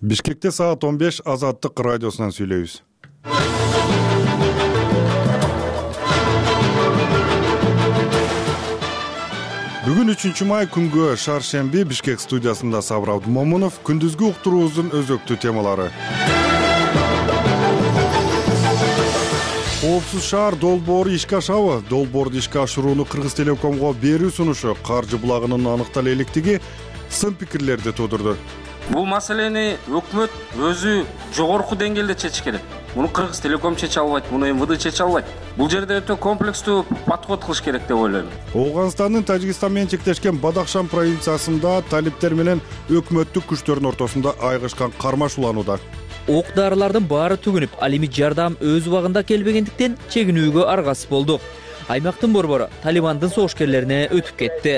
Бишкекте саат 15 Азаттык радиосунан сүйлөйбүз. Бүгүн 3-май күнгө шаршемби Бишкек студиясында Сабыр Абдумомунов. Күндүзгү уктуруубуздун өзөктүү темалары. Коопсуз шаар долбоору ишке ашабы? Долбоорду ишке ашырууну Кыргыз Телекомго берүү сунушу каржы булагынын аныктала электиги сын пикирлерди туудурду. Бул маселени өкмөт өзү жогорку деңгээлде чечиш керек. Муну Кыргыз Телеком чече албайт, муну МВД чече албайт. Бул жерде өтө комплекстүү подход кылыш керек деп ойлойм. Ооганстандын Тажикстан менен чектешкен Бадахшан провинциясында талиптер менен өкмөттүк күчтөрдүн ортосунда айгышкан кармаш уланууда. Ок-дарылардын баары түгүнүп, ал эми жардам өз убагында келбегендиктен чегинүүгө аргасыз болдук. Аймактын борбору Талибандын согушкерлерине өтүп кетти.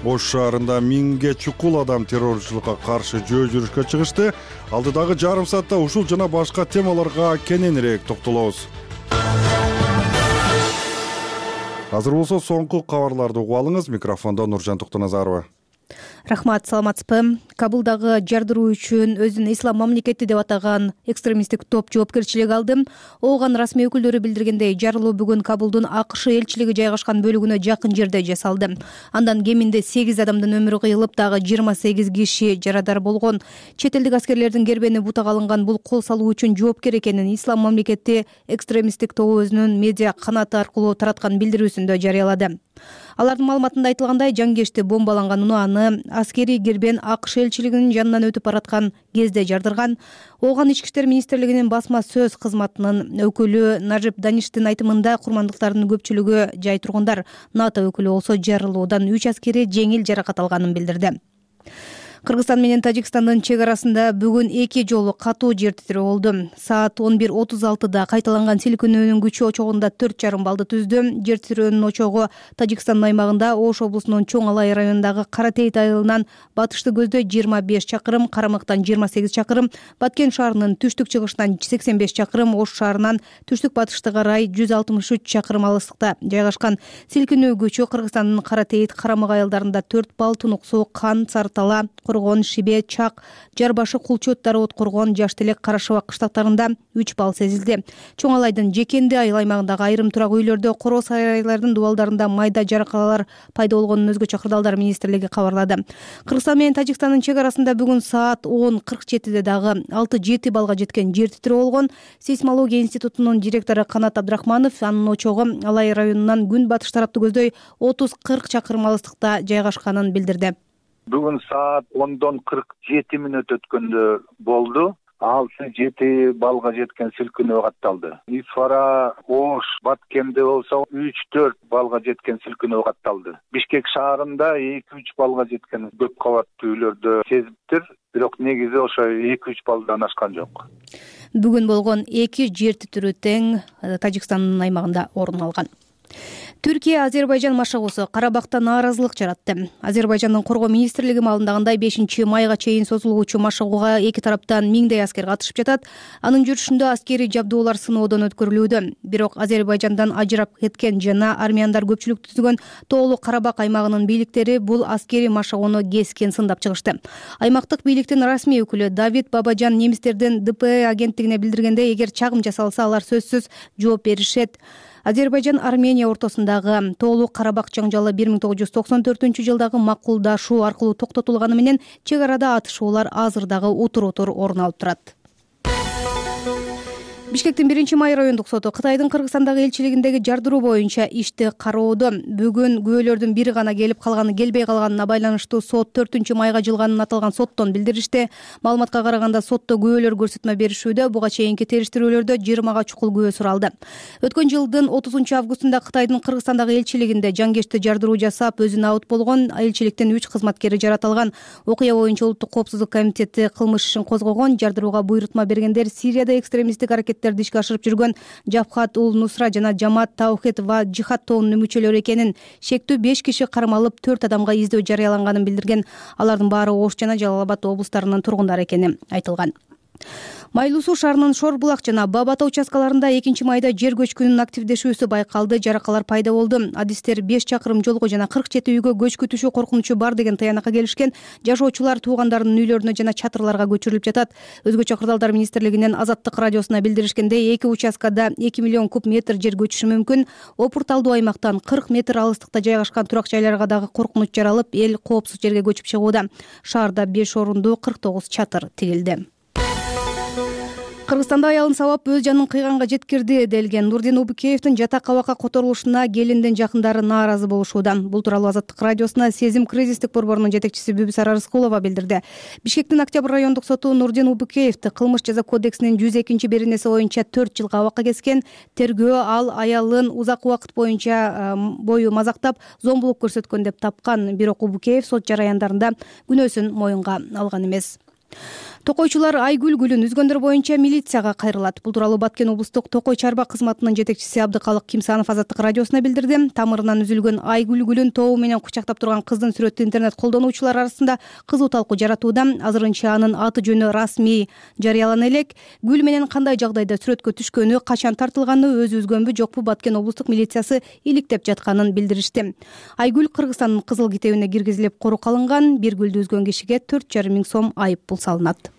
Ош шаарында 1000ге чукул адам террорчулукка каршы жөө жүрүшкө чыгышты. Алдыдагы жарым саатта ушул жана башка темаларга кененирээк токтолобуз. Азыр болсо соңку кабарларды угуп алыңыз. Микрофондо Нуржан Токтоназарова. Рахмат, саламатсызбы? Кабулдагы жардыруу үчүн өзүн ислам мамлекети деп атаган экстремисттик топ жоопкерчилик алды. Ооган расмий өкүлдөрү билдиргендей, жарылуу бүгүн Кабулдун АКШ элчилиги жайгашкан бөлүгүнө жакын жерде жасалды. Андан кеминде 8 адамдын өмүрү кыйылып, дагы 28 киши жарадар болгон. Чет элдик аскерлердин кербени бутак алынган бул кол салуу үчүн жоопкер экенин ислам мамлекети экстремисттик тобу өзүнүн медиа канаты аркылуу тараткан билдирүүсүндө жарыялады. Алардын маалыматында айтылгандай, жангешти бомбаланган унааны аскерий кербен АКШ элчилигинин жанынан өтүп бараткан кезде жардырган. Ооган ички иштер министрлигинин басма сөз кызматынын өкүлү Нажип Даништин айтымында, курмандыктардын көпчүлүгү жай тургундар. НАТО өкүлү болсо жарылуудан 3 аскери жеңил жаракат алганын билдирди. Кыргызстан менен Тажикстандын чек арасында бүгүн 2 жолу катуу жер титирөө болду. Саат 11:36 кайталанган силкинүүнүн күчү очогунда 4,5 баллды түздү. Жер титирөөнүн очогу Тажикстандын аймагында Ош облусунун Чоң Алай районундагы Каратейт айылынан батышты көздө 25 чакырым, Карамыктан 28 чакырым, Баткен шаарынын түштүк чыгышынан 85 чакырым, Ош шаарынан түштүк батышты карай 163 чакырым алыстыкта жайгашкан. Силкинүү күчү Кыргызстандын Каратейт, Карамык айылдарында 4 балл, Тунук Суу, Кан, Сарытала, Коргон, Шибе, Чак, Жарбашы, Кулчөт, Дароот, Коргон, Жаштелек, Карашыбак кыштактарында 3 балл сезилди. Чоң Алайдын Жекенди айыл аймагындагы айрым турак үйлөрдө, Коро сарайлардын дубалдарында майда жаракалар пайда болгонун өзгөчө кырдаалдар министрлиги кабарлады. Кыргызстан менен Тажикстандын чек арасында бүгүн саат 10:47 дагы 6,7 баллга жеткен жер титирөө болгон. Сейсмология институтунун директору Канат Абдрахманов анын очогу Алай районунан күн батыш тарапты көздөй 30-40 чакырым алыстыкта жайгашканын билдирди. Бүгүн саат 10:47 өткөндө болду. 6,7 баллга жеткен силкинөө катталды. Исфара, Ош, Баткенде болсо 3-4 баллга жеткен силкинөө катталды. Бишкек шаарында 2-3 баллга жеткен көп кабаттуу үйлөрдө сезиптир, бирок негизи ошо 2-3 баллдан ашкан жок. Бүгүн болгон 2 жер титирөө тең Тажикстандын аймагында орун алган. Түркия Азербайжан машыгуусу Карабакта нааразылык жаратты. Азербайжандын коргоо министрлиги маалымдагандай 5-майга чейин созулгучу машыгууга эки тараптан 1000дей аскер катышып жатат. Анын жүрүшүндө аскерий жабдуулар сыноодон өткөрүлүүдө. Бирок Азербайжандан ажырап кеткен жана армяндар көпчүлүк түзгөн Тоолуу Карабак аймагынын бийликтери бул аскерий машыгууну кескен сындап чыгышты. Аймактык бийликтин расмий өкүлү Давид Бабажан немистердин ДП агенттигине билдиргендей, эгер чагым жасалса, алар сөзсүз жооп беришет. Азербайжан Армения ортосундагы Тоолуу Карабак жаңжалы 1994-жылдагы макулдашуу аркылуу токтотулганы менен чек арада атышуулар азыр дагы утур-утур орун алып турат. Бишкектин 1-май райондук соту Кытайдын Кыргызстандагы элчилигиндеги жардыруу боюнча ишти кароодо. Бүгүн күбөлөрдүн бири гана келип калганы келбей калганына байланыштуу сот 4-майга жылганын аталган соттон билдиришти. Маалыматка караганда сотто күбөлөр көрсөтмө беришүүдө. Буга чейинки териштирүүлөрдө 20 чукул күбө суралды. Өткөн жылдын 30-августунда Кытайдын Кыргызстандагы элчилигинде жангешти жардыруу жасап, өзүнө абыт болгон. Элчиликтин 3 кызматкери жаратылган. Окуя боюнча Улуттук коопсуздук комитети кылмыш ишин козгогон. Жардырууга буйрутма бергендер Сирияда экстремисттик аракеттерди ишке ашырып жүргөн Жабхат ул Нусра жана Жамаат Таухид ва Жихад тобунун мүчөлөрү экенин, шектүү 5 киши кармалып 4 адамга издөө жарыяланганын билдирген. Алардын баары Ош жана Жалал Абад облустарынын тургундары экени айтылган. Майлуу Суу шаарынын Шор булак жана Баба Ата участкаларында 2 майда жер көчкүнүнүн активдешүүсү байкалды, жаракалар пайда болду. Адистер 5 чакырым жолго жана 47 үйгө көчкү түшүү коркунучу бар деген таянакка келишкен. Жашоочулар туугандарынын үйлөрүнө жана чатырларга көчүрүлүп жатат. Өзгөчө Кырдаалдар министрлигинин Азаттык радиосуна билдиришкендей, 2 участкада 2 миллион куб метр жер көчүшү мүмкүн. Опурталдуу аймактан 40 метр алыстыкта жайгашкан турак жайларга дагы коркунуч жаралып, эл коопсуз жерге көчүп чыгууда. Шаарда 5 орундуу 49 чатыр тигилди. Кыргызстанда аялын сабап өз жанын кыйганга жеткирди делген Нурдин Убукеевдин жатак абакка которулушуна келиндин жакындары нааразы болушууда. Бул тууралуу Азаттык радиосуна Сезим кризистик борборунун жетекчиси Бүбүсара Рыскулова билдирди. Бишкектин Октябрь райондук соту Нурдин Убукеевди кылмыш жаза кодексинин 102-беренеси боюнча 4 жылга абакка кескен. Тергөө ал аялын узак убакыт бою мазактап, зомбулук көрсөткөн деп тапкан. Бирок Убукеев сот жараяндарында күнөөсүн моюнга алган эмес. Токойчулар Айгүл гүлүн үзгөндөр боюнча милицияга кайрылат. Бул тууралуу Баткен облустук Токой чарба кызматынын жетекчиси Абдыкалык Кимсанов Азаттык радиосуна билдирди. Тамырынан үзүлгөн Айгүл гүлүн тобу менен кучактап турган кыздын сүрөтү интернет колдонуучулар арасында кызуу талкуу жаратууда. Азырынча анын аты жөнү расмий жарыялана элек. Гүл менен кандай жагдайда сүрөткө түшкөнү, качан тартылганы, өзү үзгөнбү жокпу Баткен облустук милициясы иликтеп жатканын билдиришти. Айгүл Кыргызстандын кызыл китебине киргизилип корукка алынган. Бир гүлдү үзгөн кишиге 4,5 миң сом айып пул салынат.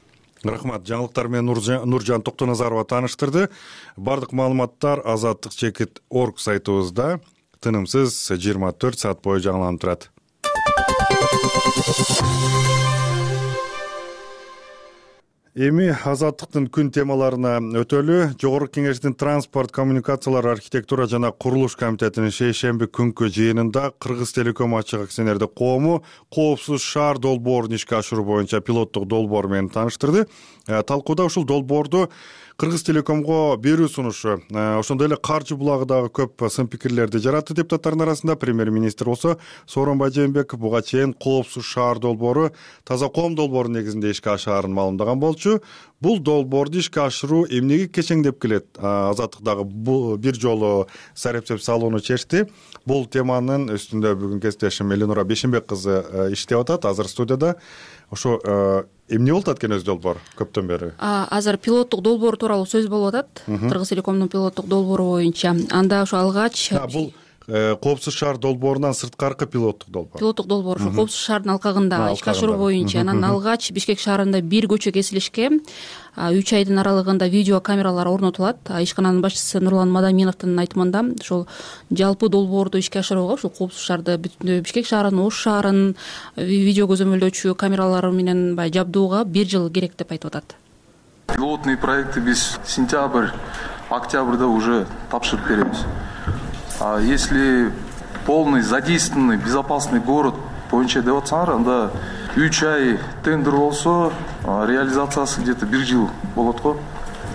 Рахмат. Жаңылыктар менен Нуржан Токтоназарова тааныштырды. Бардык маалыматтар Азаттык чекит орг сайтыбызда тынымсыз 24 саат бою жаңыланып турат. Эми Азаттыктын күн темаларына өтөлү. Жогорку Кеңештин транспорт, коммуникациялар, архитектура жана курулуш комитетинин шейшемби күнкү жыйынында Кыргыз Телеком ачык акционердик коому коопсуз шаар долбоорун ишке ашыруу боюнча пилоттук долбоор менен тааныштырды. Талкууда ушул долбоорду Кыргыз Телекомго берүү сунушу, ошондой эле каржы булагы дагы көп сын пикирлерди жаратты депутаттардын арасында. Премьер-министр болсо Сооронбай Жээнбеков буга чейин коопсуз шаар долбоору таза коом долбоору негизинде ишке ашаарын маалымдаган болчу. Бул долбоорду ишке ашыруу эмнеге кечеңдеп келет? Азаттык дагы бир жолу сарепсеп салууну чечти. Бул теманын үстүндө бүгүн кесиптешим Эленура Бешенбек кызы иштеп атат, азыр студияда. Ошо эмне болуп атат экен өз долбоор көптөн бери? Азыр пилоттук долбоор тууралуу сөз болуп атат. Кыргыз Телекомдун пилоттук долбоору боюнча. Анда ошо алгач бул коопсуз шаар долбоорунан сырткаркы пилоттук долбоор. Пилоттук долбоор ошо коопсуз шаардын алкагында ишке ашыруу боюнча. Анан алгач Бишкек шаарында бир көчө кесилишке 3 айдын аралыгында видео камералар орнотулат. Ишкананын башчысы Нурлан Мадаминовдун айтымында ошол жалпы долбоорду ишке ашырууга ошол коопсуз шаарды бүтүндөй Бишкек шаарын, Ош шаарын видео көзөмөлдөөчү камералар менен жабдууга 1 жыл керек деп айтып атат. Пилотные проекты биз сентябрь, октябрда уже тапшырып беребиз. А если полный задействованный безопасный город боюнча деп атсаңар, анда 3 ай тендер болсо, реализациясы где-то 1 жыл болот го.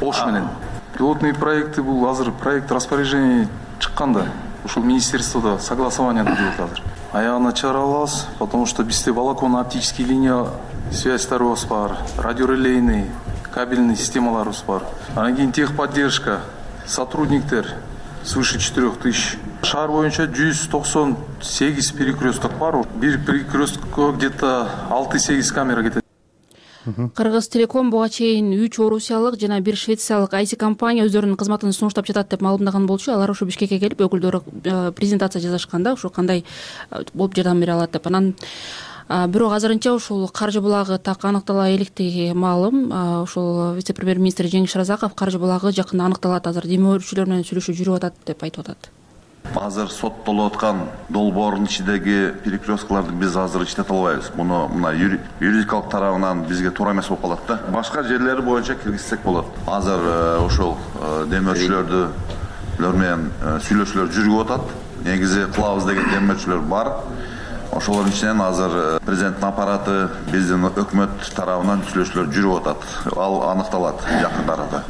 Ош менен. Пилотные проекты бул азыр проект распоряжение чыкканда, ушул министерстводо согласование жүрүп атат. Аягына чыгара алабыз, потому что бизде волоконно-оптический линия связьтарыбыз бар, радиорелейный, кабельный системаларыбыз бар. Анан кийин техподдержка, сотрудниктер свыше 4000. Шаар боюнча 198 перекресток бар. Бир перекресткко где-то 6-8 камера кетет. Кыргыз Телеком буга чейин 3 орусиялык жана 1 швециялык IT компания өздөрүнүн кызматын сунуштап жатат деп маалымдаган болчу. Алар ошо Бишкекке келип өкүлдөрү презентация жасашканда ошо кандай болуп жардам бере алат деп. Анан бирок азырынча ушул каржы булагы так аныктала электиги маалым. Ошол вице-премьер-министр Жеңиш Разаков каржы булагы жакында аныкталат, азыр демөөрчүлөр менен сүйлөшүү жүрүп атат деп айтып атат. Азыр соттолуп аткан долбоордун ичиндеги перекресткаларды биз азыр иштете албайбыз. Мына юридикалык тарабынан бизге туура эмес болуп калат да. Башка жерлери боюнча киргизсек болот. Азыр ошол демөөрчүлөр менен сүйлөшүүлөр жүрүп атат. Негизи кылабыз деген демөөрчүлөр бар. Ошолордун ичинен азыр президенттин аппараты, биздин өкмөт тарабынан сүйлөшүүлөр жүрүп атат. Ал аныкталат жакында арада.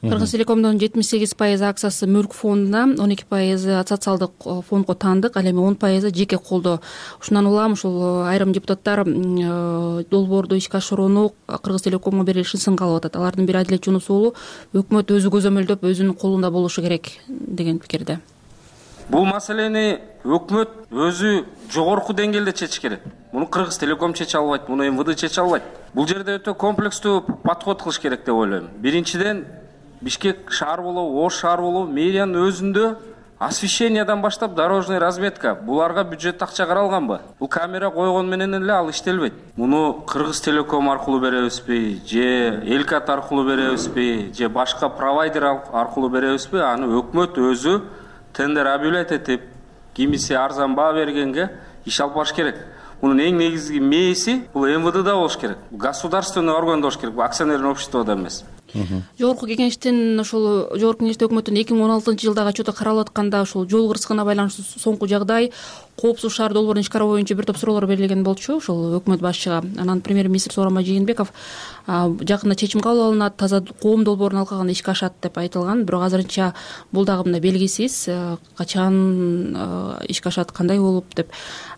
Кыргыз Телекомдун 78% акциясы мүлк фондуна, 12% социалдык фондго таандык, ал эми 10% жеке колдо. Ушундан улам ушул айрым депутаттар долбоорду ишке ашырууну Кыргыз Телекомго берилишин сынга алып атат. Алардын бири Адилет Жунус уулу өкмөт өзү көзөмөлдөп, өзүнүн колунда болушу керек деген пикирде. Бул маселени өкмөт өзү жогорку деңгээлде чечиш керек. Муну Кыргыз Телеком чече албайт, муну МВД чече албайт. Бул жерде өтө комплекстүү подход кылыш керек деп ойлойм. Биринчиден, Бишкек шаар болобу, Ош шаар болобу, мэриянын өзүндө освещениядан баштап дорожный разметка буларга бюджет акча каралганбы? Бул камера койгон менен эле ал иштелбейт. Муну Кыргыз Телеком аркылуу беребизби, же Элкат аркылуу беребизби, же башка провайдер аркылуу беребизби? Аны өкмөт өзү тендер объявлять этип, кимиси арзан баа бергенге иш алып барыш керек. Мунун эң негизги мээси бул МВДда болуш керек. Государственный органда болуш керек, акционерный обществода эмес. Жогорку кеңештин ошол жогорку кеңеште өкмөттүн 2016-жылдагы отчету каралып атканда ошол жол кырсыгына байланыштуу соңку жагдай, коопсуз шаар долбоорун ишкара боюнча бир топ суроолор берилген болчу ошол өкмөт башчыга. Анан премьер-министр Сооронбай Жээнбеков жакында чечим кабыл алынат, таза коом долбоорун алкаганда ишке ашат деп айтылган. Бирок азырынча бул дагы мындай белгисиз, качан ишке ашат, кандай болуп деп.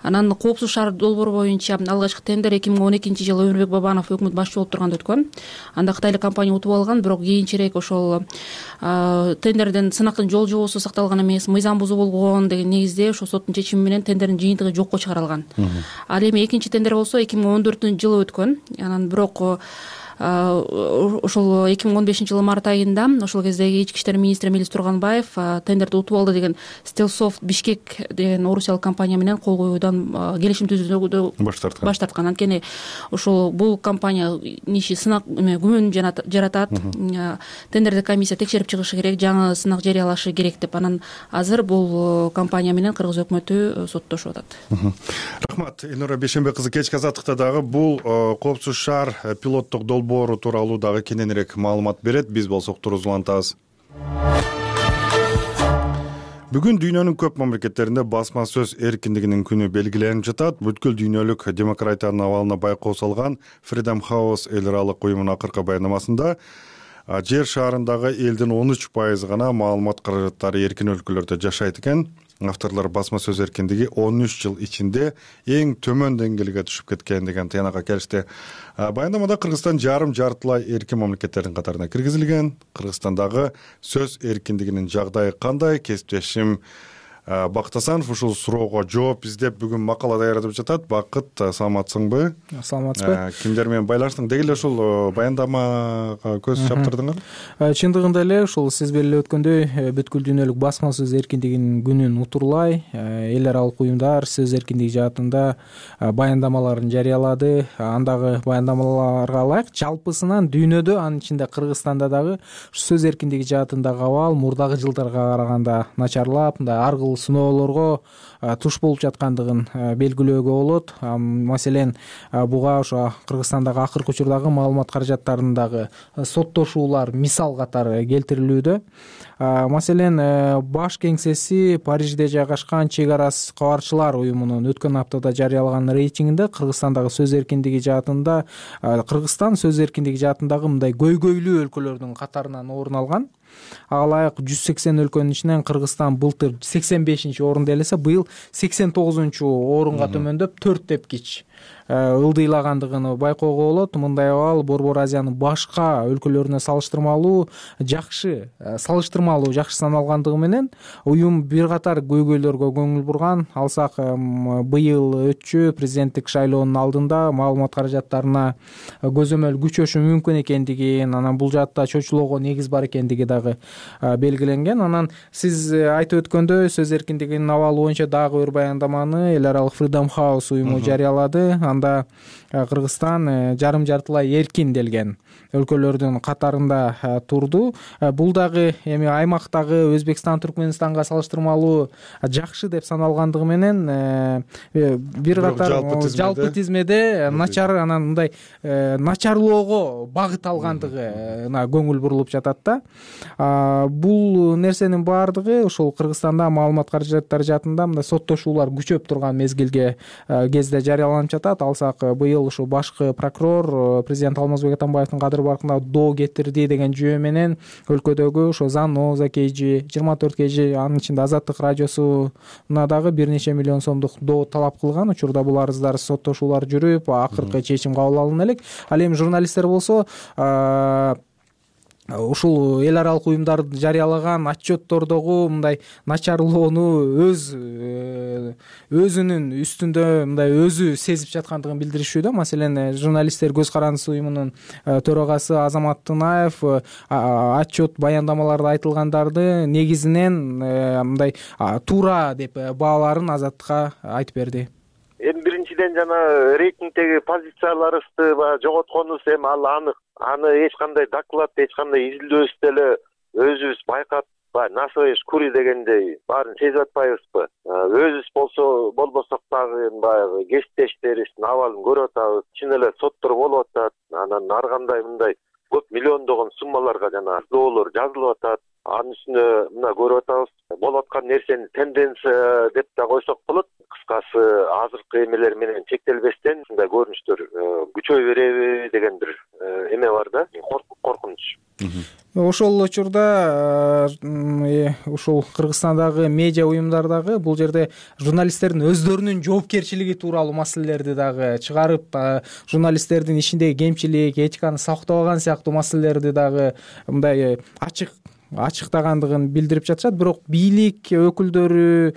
Анан коопсуз шаар долбоору боюнча алгачкы тендер 2012-жылы Өмүрбек Бабанов өкмөт башчы болуп турганда өткөн. Анда кытайлык компания утуп алган, бирок кийинчерээк ошол тендерден сынактын жол жобосу сакталган эмес, мыйзам бузуу болгон деген негизде ошо соттун чечими менен тендердин жыйынтыгы жокко чыгарылган. Ал эми экинчи тендер болсо 2014-жылы өткөн. Анан бирок ошол 2015-жылы март айында ошол кездеги ички иштер министри Мелис Турганбаев тендерди утуп алды деген Стелсофт Бишкек деген орусиялык компания менен кол коюудан келишим түзүүдөн баш тарткан. Анткени ошол бул компания иши сынак күмөн жаратат, тендерди комиссия текшерип чыгышы керек, жаңы сынак жарыялашы керек деп. Анан азыр бул компания менен кыргыз өкмөтү соттошуп атат. Рахмат, Элнура Бейшенбек кызы. Кечки азаттыкта дагы бул коопсуз шаар пилоттук долбоору тууралуу дагы кененирээк маалымат берет. Биз болсок турузуп улантабыз. Бүгүн дүйнөнүн көп мамлекеттеринде басма сөз эркиндигинин күнү белгиленип жатат. Бүткүл дүйнөлүк демократиянын абалына байкоо салган Freedom House эл аралык уюмунун акыркы баяндамасында жер шарындагы элдин 13% гана маалымат каражаттары эркин өлкөлөрдө жашайт экен. Авторлор басма сөз эркиндиги 13 жыл ичинде эң төмөн деңгээлге түшүп кеткен деген тыянакка келишти. Баяндамада Кыргызстан жартылай эркин мамлекеттердин катарына киргизилген. Кыргызстандагы сөз эркиндигинин жагдайы кандай? Кесиптешим Бакыт Асанов ушул суроого жооп издеп бүгүн макала даярдап жатат. Бакыт, саламатсыңбы? Саламатсызбы. Кимдер менен байланыштың? Деги эле ушул баяндамага көз чаптырдыңар? Чындыгында эле ушул сиз белгилеп өткөндөй бүткүл дүйнөлүк басма сөз эркиндигинин күнүн утурлай эл аралык уюмдар сөз эркиндиги жаатында баяндамаларын жарыялады. Андагы баяндамаларга ылайык жалпысынан дүйнөдө, анын ичинде Кыргызстанда дагы сөз эркиндиги жаатындагы абал мурдагы жылдарга караганда начарлап, мындай ар кыл сыноолорго туш болуп жаткандыгын белгилөөгө болот. Маселен, буга ошо Кыргызстандагы акыркы учурдагы маалымат каражаттарындагы соттошуулар мисал катары келтирилүүдө. Маселен, баш кеңсеси Парижде жайгашкан Чек арасы кабарчылар уюмунун өткөн аптада жарыялаган рейтингинде Кыргызстандагы сөз эркиндиги жаатында Кыргызстан сөз эркиндиги жаатындагы мындай көйгөйлүү өлкөлөрдүн катарынан орун алган. Ага ылайык 180 өлкөнүн ичинен Кыргызстан былтыр 85-орунда элесе, быйыл 89-орунга төмөндөп 4 тепкич ылдыйлагандыгын байкоого болот. Мындай абал Борбор Азиянын башка өлкөлөрүнө салыштырмалуу жакшы саналгандыгы менен уюм бир катар көйгөйлөргө көңүл бурган. Алсак, быйыл өтчү президенттик шайлоонун алдында маалымат каражаттарына көзөмөл күчөшү мүмкүн экендигин, анан бул жаатта чочулоого негиз бар экендиги дагы белгиленген. Анан сиз айтып өткөндөй сөз эркиндигинин абалы боюнча дагы бир баяндаманы эл аралык Freedom House уюму жарыялады. Анда Кыргызстан жартылай эркин делген өлкөлөрдүн катарында турду. Бул дагы эми аймактагы Өзбекстан, Түркмөнстанга салыштырмалуу жакшы деп саналгандыгы менен бир катар жалпы тизмеде начар, анан мындай начарлоого багыт алгандыгына көңүл бурулуп жатат да. Бул нерсенин баардыгы ошол Кыргызстанда маалымат каражаттары жаатында мындай соттошуулар күчөп турган мезгилге кезде жарыяланып жатат. Алсак, быйыл ушул башкы прокурор президент Алмазбек Атамбаевдин кадыр баркында доо кетирди деген жөө менен өлкөдөгү ошо Заноза KG, 24 KG, анын ичинде Азаттык радиосуна дагы бир нече миллион сомдук доо талап кылган. Учурда бул арыздар, соттошуулар жүрүп, акыркы чечим кабыл алына элек. Ал эми журналисттер болсо ушул эл аралык уюмдар жарыялаган отчеттордогу мындай начарлоону өзүнүн үстүндө мындай өзү сезип жаткандыгын билдиришүү да. Маселен, журналисттер көз карандысы уюмунун төрагасы Азамат Тынаев отчет баяндамаларда айтылгандарды негизинен мындай туура деп бааларын Азаттыкка айтып берди. Эми биринчиден жана рейтингдеги позицияларыбызды жоготконубуз эми ал анык. Аны эч кандай доклад, эч кандай изилдөөбүз деле өзүбүз байкап, насыбайбыз кури дегендей баарын сезип атпайбызбы? Өзүбүз болбосок дагы баягы кесиптештерибиздин абалын көрүп атабыз. Чын эле соттор болуп атат. Анан ар кандай мындай көп миллиондогон суммаларга жана доолор жазылып атат. Анын үстүнө мына көрүп атабыз. Болуп аткан нерсени тенденция деп да койсок болот. Кыскасы азыркы эмелер менен чектелбестен ушундай көрүнүштөр күчөй береби деген бир эме бар да, коркунуч. Ошол учурда ушул Кыргызстандагы медиа уюмдардагы бул жерде журналисттердин өздөрүнүн жоопкерчилиги тууралуу маселелерди дагы чыгарып, журналисттердин ишиндеги кемчилик, этиканы сактабаган сыяктуу маселелерди дагы мындай ачыктагандыгын билдирип жатышат. Бирок бийлик өкүлдөрү,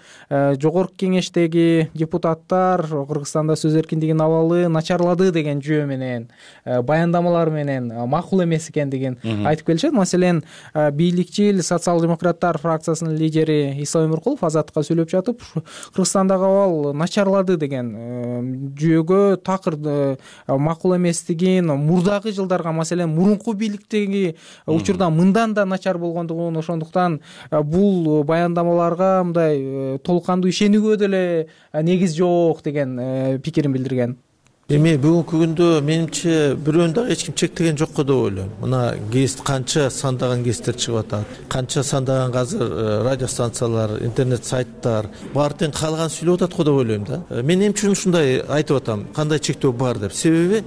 жогорку кеңештеги депутаттар Кыргызстанда сөз эркиндигинин абалы начарлады деген жөө менен, баяндамалар менен макул эмес экендигин айтып келишет. Маселен, бийликчил социал-демократтар фракциясынын лидери Ислам Өмүркулов Азаттыкка сүйлөп жатып, Кыргызстандагы абал начарлады деген жөөгө такыр макул эместигин, мурдагы жылдарга, маселен, мурунку бийликтеги учурда мындан да начар болгон, ошондуктан бул баяндамаларга мындай толук кандуу ишенүүгө деле негиз жок деген пикирин билдирген. Эми бүгүнкү күндө менимче бирөөнү дагы эч ким чектеген жок го деп ойлойм. Мына гест канча сандаган гесттер чыгып атат, канча сандаган азыр радиостанциялар, интернет сайттар баары тең каалаган сүйлөп атат го деп ойлойм да. Мен эмне үчүн ушундай айтып атам, кандай чектөө бар деп. Себеби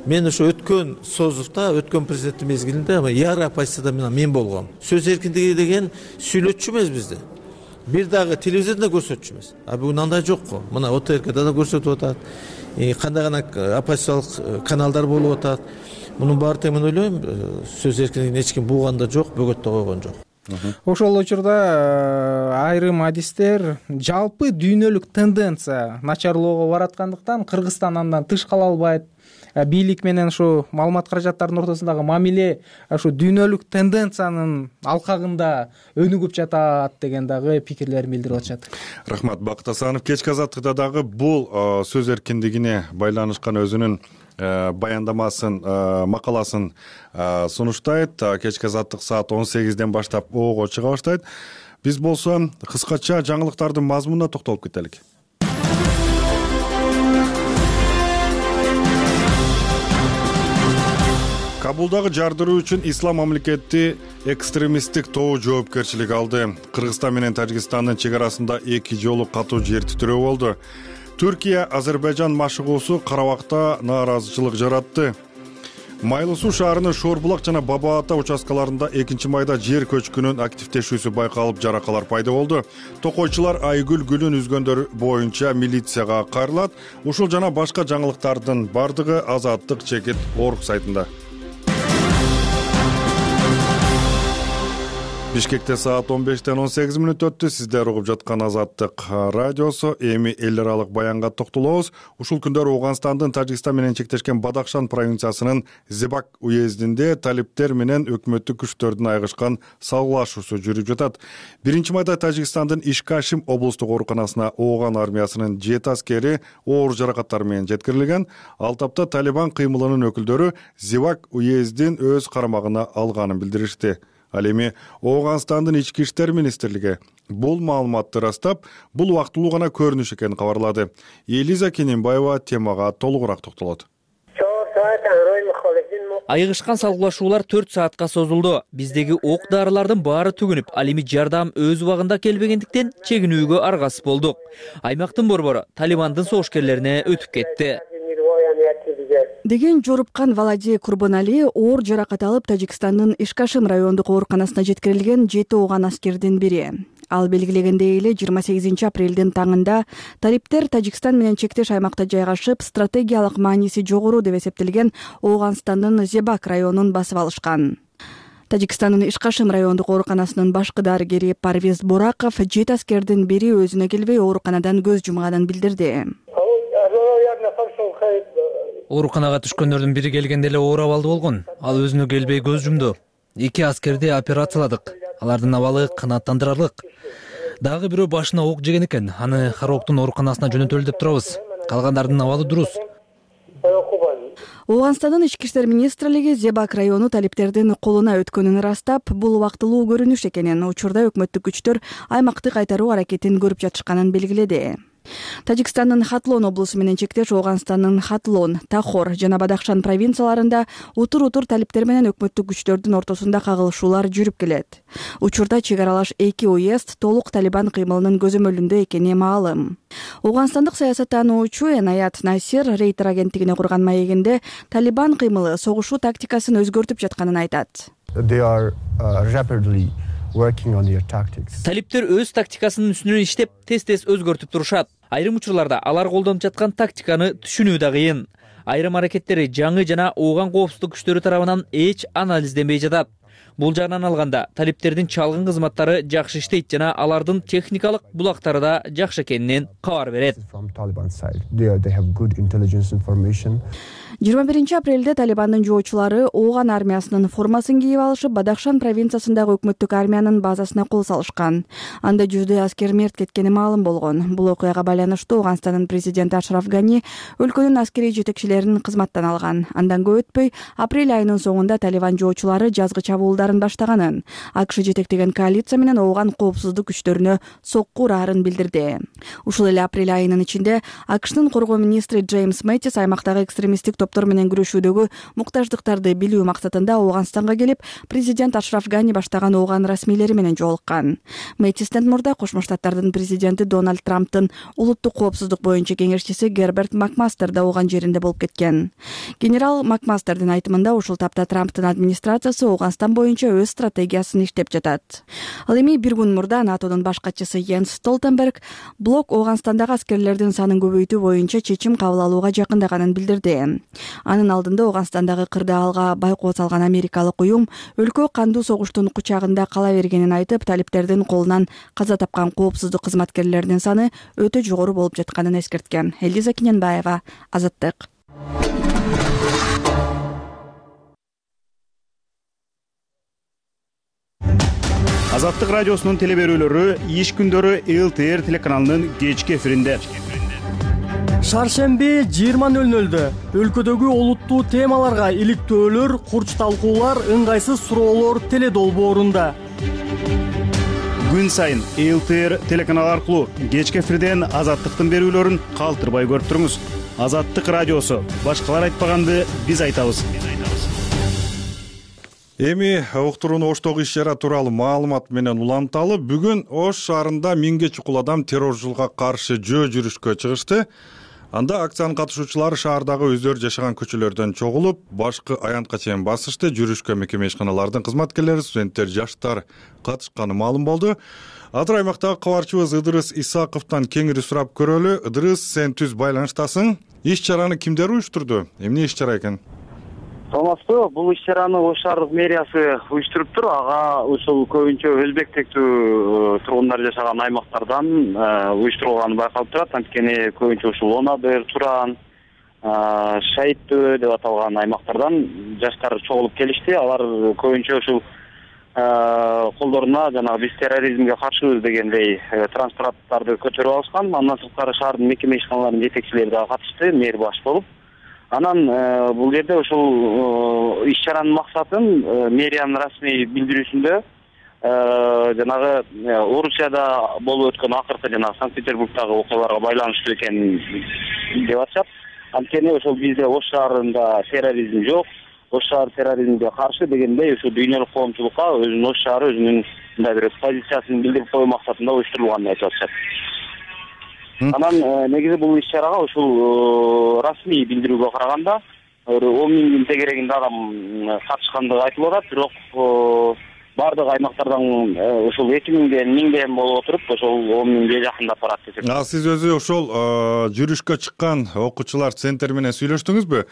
мен ошо өткөн созувда, өткөн президенттик мезгилинде яра оппозицияда мен болгом. Сөз эркиндиги деген сүйлөтчү эмес бизде. Бир дагы телевизордо көрсөтчү эмес. Бүгүн андай жок го. Мына ОТРКда да көрсөтүп атат. Кандай гана оппозициялык каналдар болуп атат. Мунун баары тең мен ойлойм, сөз эркиндигин эч ким бууган да жок, бөгөттө койгон жок. Ошол учурда айрым адистер жалпы дүйнөлүк тенденция начарлоого бараткандыктан Кыргызстан андан тыш кала албайт. Бийлик менен ушу маалымат каражаттарынын ортосундагы мамиле ушу дүйнөлүк тенденциянын алкагында өнүгүп жатат деген дагы пикирлерин билдирип атышат. Рахмат, Бакыт Асанов. Кечки Азаттыкта дагы бул сөз эркиндигине байланышкан өзүнүн баяндамасын, макаласын сунуштайт. Кечки Азаттык саат 18ден баштап оого чыга баштайт. Биз болсо кыскача жаңылыктардын мазмунуна токтолуп кетелик. Кабулдагы жардыруу үчүн Ислам мамлекети экстремисттик тобу жоопкерчилик алды. Кыргызстан менен Тажикстандын чек арасында 2 жолу катуу жер титирөө болду. Түркия Азербайжан машыгуусу Карабакта нааразычылык жаратты. Майлы суу шаарынын Шорбулак жана Баба Ата участкаларында 2-майда жер көчкүнүн активдешүүсү байкалып, жаракалар пайда болду. Токойчулар Айгүл гүлүн үзгөндөр боюнча милицияга кайрылат. Ушул жана башка жаңылыктардын бардыгы Азаттык чекит орг сайтында. Бишкекте саат 15ден 18 өттү. Сиздер угуп жаткан Азаттык радиосу. Эми эл аралык баянга токтолобуз. Ушул күндөр Ооганстандын Тажикстан менен чектешкен Бадахшан провинциясынын Зебак уездинде талиптер менен өкмөттүк күчтөрдүн айгышкан салгылашуусу жүрүп жатат. 1-майда Тажикстандын Ишкашим облустук ооруканасына Ооган армиясынын 7 аскери оор жаракаттар менен жеткирилген. Ал тапта Талибан кыймылынын өкүлдөрү Зебак уездин өз карамагына алганын билдиришти. Ал эми Ооганстандын ички иштер министрлиги бул маалыматты ырастап, бул убактылуу гана көрүнүш экенин кабарлады. Элиза Кененбаева темага толугураак токтолот. Айгышкан салгылашуулар 4 саатка созулду. Биздеги ок дарылардын баары түгүнүп, ал эми жардам өз убагында келбегендиктен чегинүүгө аргасыз болдук. Аймактын борбору Талибандын согушкерлерине өтүп кетти деген жорупкан Валади Курбанали оор жаракат алып Тажикстандын Ишкашим райондук ооруканасына жеткирилген 7 ооган аскердин бири. Ал белгилегендей эле 28 апрелдин таңында талиптер Тажикстан менен чектеш аймакта жайгашып, стратегиялык мааниси жогору деп эсептелген Ооганстандын Зебак районун басып алышкан. Тажикстандын Ишкашим райондук ооруканасынын башкы дарыгери Парвиз Бораков 7 аскердин бири өзүнө келбей ооруканадан көз жумганын билдирди. Ооруканага түшкөндөрдүн бири келгенде эле оор абалда болгон. Ал өзүнө келбей көз жумду. 2 аскерди операцияладык. Алардын абалы канааттандырарлык. Дагы бирөө башына ок жеген экен. Аны Хароктун ооруканасына жөнөтөлү деп турабыз. Калгандардын абалы дурус. Ооганстандын ички иштер министрлиги Зебак району талиптердин колуна өткөнүн ырастап, бул убактылуу көрүнүш экенин, учурда өкмөттүк күчтөр аймакты кайтаруу аракетин көрүп жатышканын белгиледи. Тажикстандын Хатлон облусу менен чектеш Ооганстандын Хатлон, Тахор жана Бадахшан провинцияларында утур-утур талиптер менен өкмөттүк күчтөрдүн ортосунда кагылышуулар жүрүп келет. Учурда чек аралаш 2 уезд толук Талибан кыймылынын көзөмөлүндө экени маалым. Ооганстандык саясаттануучу Энаят Насир Рейтер агенттигине курган маегинде Талибан кыймылы согушуу тактикасын өзгөртүп жатканын айтат. Талиптер өз тактикасынын үстүнөн иштеп, тез-тез өзгөртүп турушат. Айрым учурларда алар колдонуп жаткан тактиканы түшүнүү да кыйын. Айрым аракеттери жаңы жана ооган коопсуздук күчтөрү тарабынан эч анализденбей жатат. Бул жагынан алганда талиптердин чалгын кызматтары жакшы иштейт жана алардын техникалык булактары да жакшы экенинен кабар берет. 21 апрелде Талибандын жоочулары ооган армиясынын формасын кийип алышып, Бадахшан провинциясындагы өкмөттүк армиянын базасына кол салышкан. Анда 100 аскер мерт кеткени маалым болгон. Бул окуяга байланыштуу Ооганстандын президенти Ашраф Гани өлкөнүн аскерий жетекчилерин кызматтан алган. Андан көп өтпөй, апрель айынын соңунда Талибан жоочулары жазгы чабуулдарын баштаганын, АКШ жетектеген коалиция менен ооган коопсуздук күчтөрүнө сокку ураарын билдирди. Ушул эле апрель айынын ичинде АКШнын коргоо министри Джеймс Мэттис аймактагы экстремисттик топтор менен күрөшүүдөгү муктаждыктарды билүү максатында Ооганстанга келип, президент Ашраф Гани баштаган ооган расмийлери менен жолуккан. Мэттистен мурда Кошмо Штаттардын президенти Дональд Трамптын улуттук коопсуздук боюнча кеңешчиси Герберт Макмастер да ооган жеринде болуп кеткен. Генерал Макмастердин айтымында ушул тапта Трамптын администрациясы Ооганстан боюнча өз стратегиясын иштеп жатат. Ал эми бир күн мурда НАТОдун баш катчысы Йенс Столтенберг блок Ооганстандагы аскерлердин санын көбөйтүү боюнча чечим кабыл алууга жакындаганын билдирди. Анын алдында Ооганстандагы кырдаалга байкоо салган америкалык уюм өлкө кандуу согуштун кучагында кала бергенин айтып, талиптердин колунан каза тапкан коопсуздук кызматкерлеринин саны өтө жогору болуп жатканын эскерткен. Элиза Киненбаева, Азаттык. Азаттык радиосунун телеберүүлөрү иш күндөрү ЛТР телеканалынын кечки эфиринде. Шаршемби 20:00 өлкөдөгү олуттуу темаларга иликтөөлөр, курч талкуулар, ыңгайсыз суроолор теле долбоорунда. Күн сайын ЛТР телеканалы аркылуу кечки эфирден Азаттыктын берүүлөрүн калтырбай көрүп туруңуз. Азаттык радиосу. Башкалар айтпаганды биз айтабыз. Эми уктуруну Оштогу иш-чара тууралуу маалымат менен уланталы. Бүгүн Ош шаарында 1000ге чукул адам террорчулукка каршы жөө жүрүшкө чыгышты. Анда акциянын катышуучулары шаардагы өздөрү жашаган көчөлөрдөн чогулуп, башкы аянтка чейин басышты. Жүрүшкө мекеме ишканалардын кызматкерлери, студенттер, жаштар катышканы маалым болду. Азыр аймактагы кабарчыбыз Ыдырыс Исаковдон кеңири сурап көрөлү. Ыдырыс, сен түз байланыштасың. Иш-чараны кимдер уюштурду? Эмне иш-чара экен? Саламатсызбы, бул иш-чараны Ош шаардык мэриясы уюштуруптур. Ага ушул көбүнчө өзбек тектүү тургундар жашаган аймактардан уюштурулганы байкалып турат. Анткени көбүнчө ушул Онадыр, Туран, Шайыттөө деп аталган аймактардан жаштар чогулуп келишти. Алар көбүнчө ушул колдоруна жанагы биз терроризмге каршыбыз дегендей транспаранттарды көтөрүп алышкан. Андан сырткары шаардын мекеме ишканаларынын жетекчилери да катышты, мэр баш болуп. Анан бул жерде ушул иш-чаранын максатын мэриянын расмий билдирүүсүндө жанагы Орусияда болуп өткөн акыркы жанагы Санкт-Петербургдагы окуяларга байланыштуу экенин деп атышат. Анткени ошол бизде Ош шаарында терроризм жок, Ош шаары терроризмге каршы дегендей ушул дүйнөлүк коомчулукка өзүнүн Ош шаары өзүнүн мындай бир позициясын билдирип коюу максатында уюштурулганын айтып атышат. Анан негизи бул иш-чарага ушул расмий билдирүүгө караганда 10 000 тегерегинде адам катышкандыгы айтылып атат, бирок баардык аймактардан ушул 2000 болуп отуруп ошол 10 000 жакындап барат десек. Сиз өзү ошол жүрүшкө чыккан окуучулар центр менен сүйлөштүңүзбү?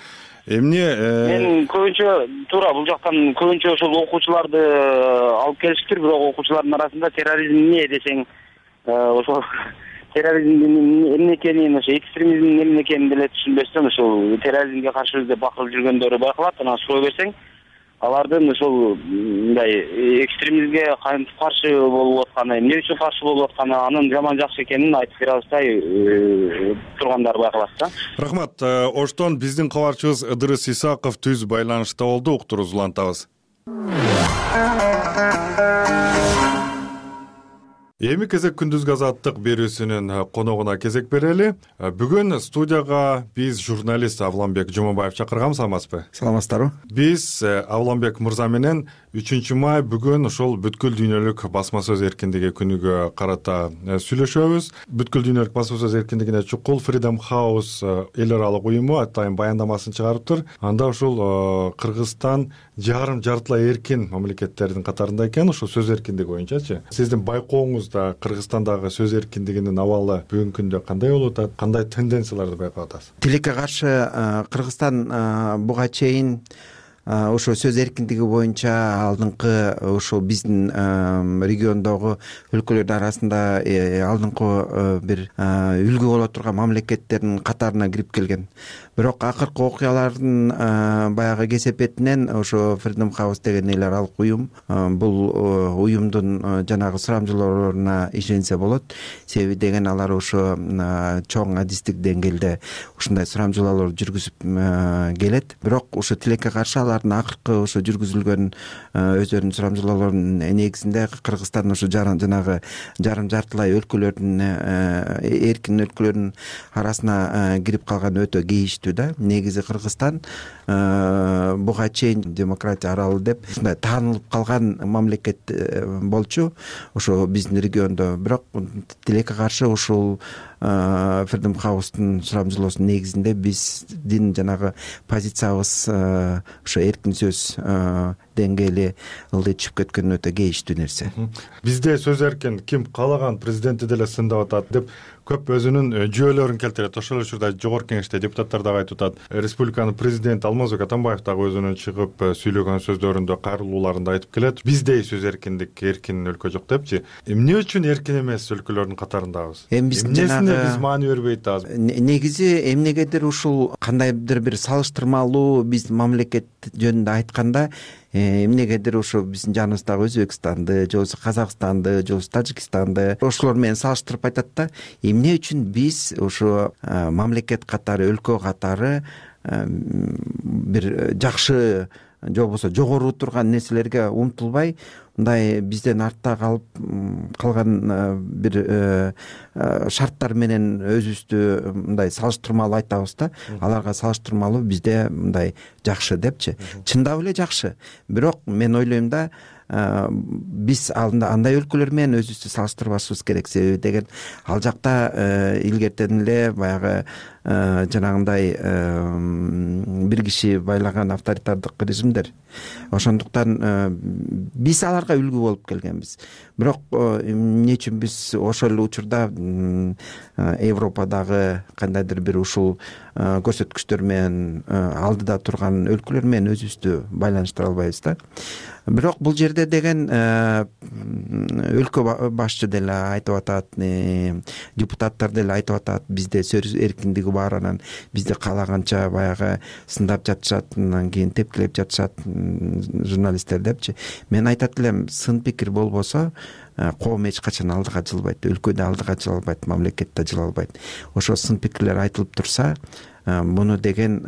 Эмне мен көбүнчө туура бул жактан көбүнчө ошол окуучуларды алып келиштир, бирок окуучулардын арасында терроризм эмне десең ошол терроризмдин эмне экенин, ошо экстремизмдин эмне экенин деле түшүнбөстөн ошол терроризмге каршы өзү бакырып жүргөндөрү байкалат. Анан сурой берсең алардын ошол мындай экстремизмге кантип каршы болуп атканы, эмне үчүн каршы болуп атканы, анын жаман жакшы экенин айтып бере алышпай тургандар байкалат да. Рахмат. Оштон биздин кабарчыбыз Ыдырыс Исаков түз байланышта болду. Уктуруубузду улантабыз. Эми кезек күндүзгү азаттык берүүсүнүн коногуна кезек берели. Бүгүн студияга биз журналист Авламбек Жумабаев чакырганбыз, саламатсызбы? Саламатсыздарбы? Биз Авламбек мырза менен 3-май бүгүн ошол бүткүл дүйнөлүк басма сөз эркиндиги күнүгө карата сүйлөшөбүз. Бүткүл дүйнөлүк басма сөз эркиндигине чукул Freedom House эл аралык уюму атайын баяндамасын чыгарыптыр. Анда ошол Кыргызстан жартылай эркин мамлекеттердин катарында экен, ошол сөз эркиндиги боюнчачы. Сиздин байкооңузда Кыргызстандагы сөз эркиндигинин абалы бүгүнкү күндө кандай болуп атат? Кандай тенденцияларды байкап атасыз? Тилекке каршы Кыргызстан буга чейин ошо сөз эркиндиги боюнча алдыңкы ошол биздин региондогу өлкөлөрдүн арасында алдыңкы бир үлгү боло турган мамлекеттердин катарына кирип келген. Бирок акыркы окуялардын баягы кесепетинен ошо Freedom House деген эл аралык уюм бул уюмдун жанагы сурамжылоолоруна ишенсе болот. Себеби деген алар ошо чоң адистик деңгээлде ушундай сурамжылоолор жүргүзүп келет. Бирок ошо тилекке каршы алардын акыркы ошо жүргүзүлгөн өздөрүнүн сурамжылоолорунун негизинде Кыргызстан ошо жанагы жартылай өлкөлөрдүн эркин өлкөлөрдүн арасына кирип калган өтө кейиштүү да. Негизи Кыргызстан буга чейин демократия аралы деп ушундай таанылып калган мамлекет болчу ошо биздин региондо. Бирок тилекке каршы ушул Freedom House'тун сурамжылоосунун негизинде биздин жанагы позициябыз ошо эркин сөз деңгээли ылдый түшүп кеткен өтө кейиштүү нерсе. Бизде сөз эркин ким каалаган президенти деле сындап атат деп көп өзүнүн жүйөлөрүн келтирет. Ошол эле учурда жогорку кеңеште депутаттар дагы айтып атат. Республиканын президенти Алмазбек Атамбаев дагы өзүнүн чыгып сөйлөгөн сөздөрүндө, кайрылууларында айтып келет. Биздей сөз эркиндик, эркин өлкө жок депчи. Эмне үчүн эркин эмес өлкөлөрдүн катарындабыз? Эмнесине биз маани бербей атабыз? Негизи эмнегедир ушул кандайдыр бир салыштырмалуу биздин мамлекет жөнүндө айтканда эмнегедир ошо биздин жаныбыздагы Өзбекстанды, же болбосо Казакстанды, же болбосо Тажикстанды ошолор менен салыштырып айтат да. Эмне үчүн биз ошо мамлекет катары, өлкө катары бир жакшы же болбосо жогору турган нерселерге умтулбай, мындай бизден артта калган бир шарттар менен өзүбүздү мындай салыштырмалуу айтабыз да. Аларга салыштырмалуу бизде мындай жакшы депчи. Чындап эле жакшы. Бирок мен ойлойм да, биз андай өлкөлөр менен өзүбүздү салыштырбашыбыз керек. Себеби деген ал жакта илгертен эле баягы жанагындай бир киши байлаган авторитардык режимдер. Ошондуктан биз аларга үлгү болуп келгенбиз. Бирок эмне үчүн биз ошол эле учурда Европадагы кандайдыр бир ушул көрсөткүчтөр менен алдыда турган өлкөлөр менен өзүбүздү байланыштыра албайбыз да. Бирок бул жерде деген өлкө башчы деле айтып атат, депутаттар деле айтып атат, бизде сөз эркиндиги бар, анан бизди каалаганча баягы сындап жатышат, анан кийин тепкилеп жатышат журналисттер депчи. Мен айтат элем, сын пикир болбосо коом эч качан алдыга жылбайт, өлкө да алдыга жыла албайт, мамлекет да жыла албайт. Ошо сын пикирлер айтылып турса, муну деген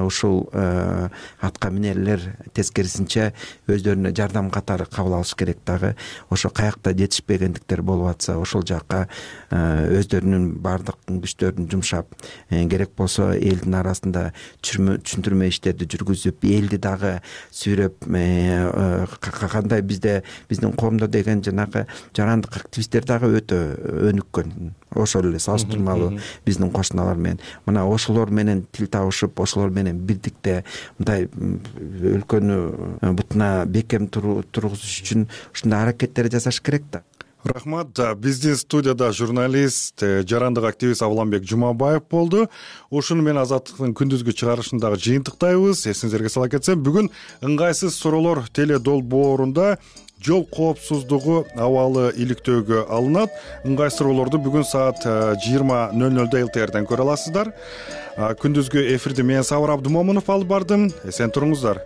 ушул атка минерлер тескерисинче өздөрүнө жардам катары кабыл алыш керек дагы. Ошо каякта жетишпегендиктер болуп атса, ошол жакка өздөрүнүн баардык күчтөрүн жумшап, керек болсо элдин арасында түшүндүрмө иштерди жүргүзүп, элди дагы сүйрөп, кандай биздин коомдо деген жанагы жарандык активисттер дагы өтө өнүккөн. Ошол эле салыштырмалуу биздин кошуналар менен. Мына ошолор менен тил табышып, ошолор менен бирдикте мындай өлкөнү бутуна бекем тургузуш үчүн ушундай аракеттер жасаш керек да. Рахмат. Биздин студияда журналист, жарандык активист Авламбек Жумабаев болду. Ушуну менен Азаттыктын күндүзгү чыгарышындагы жыйынтыктайбыз. Эсиңизерге сала кетсем, бүгүн ыңгайсыз суроолор теле долбоорунда жол коопсуздугу абалы иликтөөгө алынат. Ыңгай суроолорду бүгүн саат 20:00 ЛТРден көрө аласыздар. Күндүзгү эфирди мен Сабыр Абдымомунов алып бардым. Эсен туруңуздар.